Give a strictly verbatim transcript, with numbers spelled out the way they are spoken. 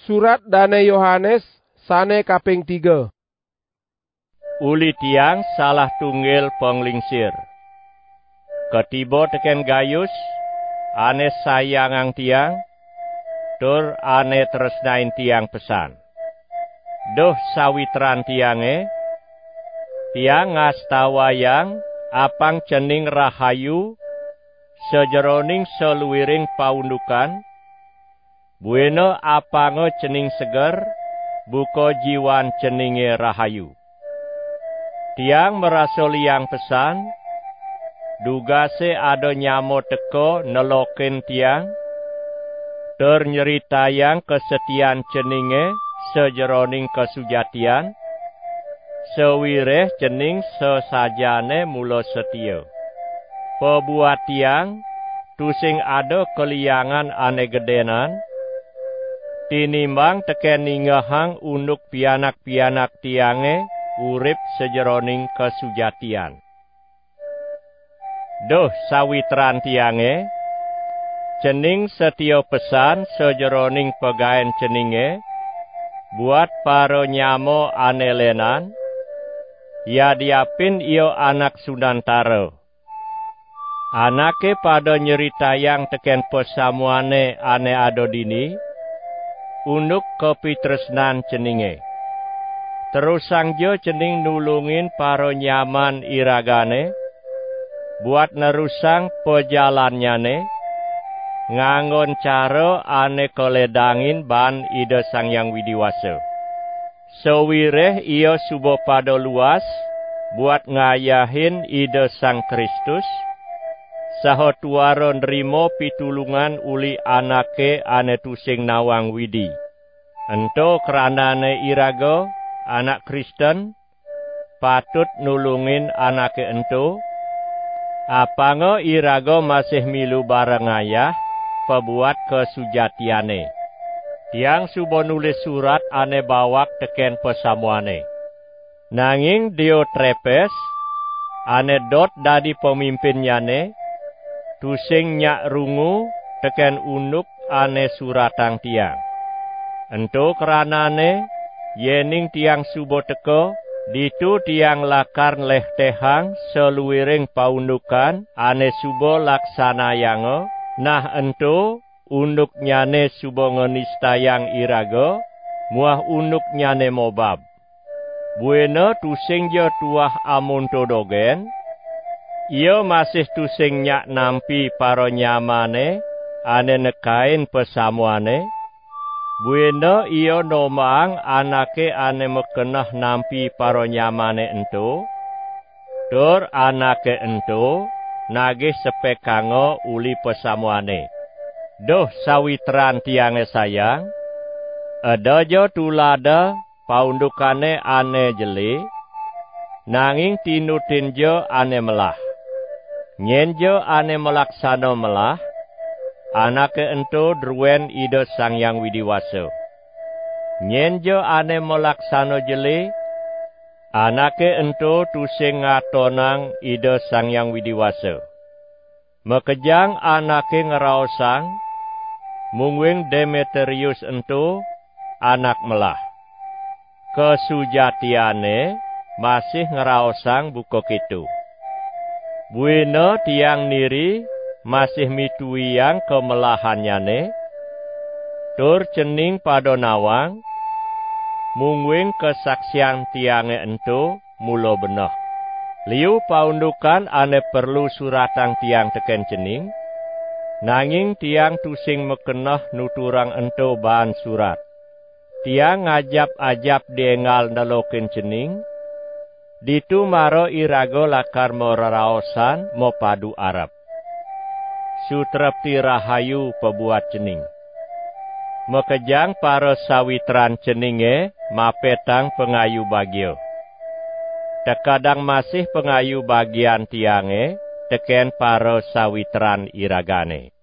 Surat Dane Yohanes sane kaping tiga. Uli tiang salah tunggil panglingsir. Katiba teken Gayus, ane sayangang tiang, tur ane tresnain tiang pesan. Duh sawitran tiange, tiang ngastawayang apang cening rahayu sajeroning saluiring paundukan, buina apanga cening seger, buka jiwan ceninge rahayu. Tiang marasa liang pesan, dugase ada nyama teka nelokin tiang, tur nyritayang kasetian ceninge sajeroning kasujatian, sawireh cening sasajane mula satia. Pabuat tiang tusing ada kaliangan ane gedenan, tinimbang teken ningehang unduk pianak-pianak tiange urip sajeroning kasujatian. Duh sawitran tiange, cening satia pesan sajeroning pagaen ceninge buat paranyama ane lenan, yadiapin ia anak sunantara. Anake pada nyritayang teken pasamuane ane ada dini, unduk kapitresnan ceninge. Terusangja cening nulungin paranyaman iragane, buat nerusang pajalannyane, nganggon cara ane kaledangin baan Ida Sang Hyang Widi Wasa. Sawireh ia suba pada luas buat ngayahin Ida Sang Kristus, saha tuara nrima pitulungan uli anake ane tusing nawang Widi. Ento kranane iraga, anak Kristen, patut nulungin anake ento, apanga iraga masih milu bareng ngayah pabuat kasujatiane. Tiang suba nulis surat ane bawak teken pasamuane. Nanging Diotrepes, ane dot dadi pamimpinnyane, tusing nyak rungu teken unduk ane suratang tiang. Ento kranane, yening tiang suba teka, ditu tiang lakar nlehtehang saluiring paundukan ane suba laksanayanga, nah ento unduknyane suba nganistayang iraga, muah unduknyane mobab. Buina tusingja tuah amonto dogen, ia masih tusing nyak nampi paranyamane ane nekain pasamuane, buina ia nombaang anake ane makeneh nampi paranyamane ento, tur anake ento nagih sepekanga uli pasamuane. Duh sawitran tiange sayang, edaja tulada paundukane ane jele, nanging tinutinja ane melah. Nyenja ane malaksana melah, anake ento druen Ida Sang Hyang Widi Wasa. Nyenja ane malaksana jele, anake ento tusing ngatonang Ida Sang Hyang Widi Wasa. Makejang anake ngraosang, mungguing Demetrius ento anak melah. Kasujatiane masih ngraosang buka keto. Buina tiang niri masih mituiang kamelahannyane, tur cening pada nawang, mungguing kasaksian tiange ento mula beneh. Liu paundukan ane perlu suratang tiang teken cening, nanging tiang tusing makeneh nuturang ento baan surat. Tiang ngajap-ajap di enggal nelokin cening, ditu mara iraga lakar mareraosan mapadu arep. Sutrepti rahayu pabuat cening. Makejang parasawitran ceninge mapetang pangayu bagia. Tekadang masih pangayu bagian tiange teken parasawitran iragane.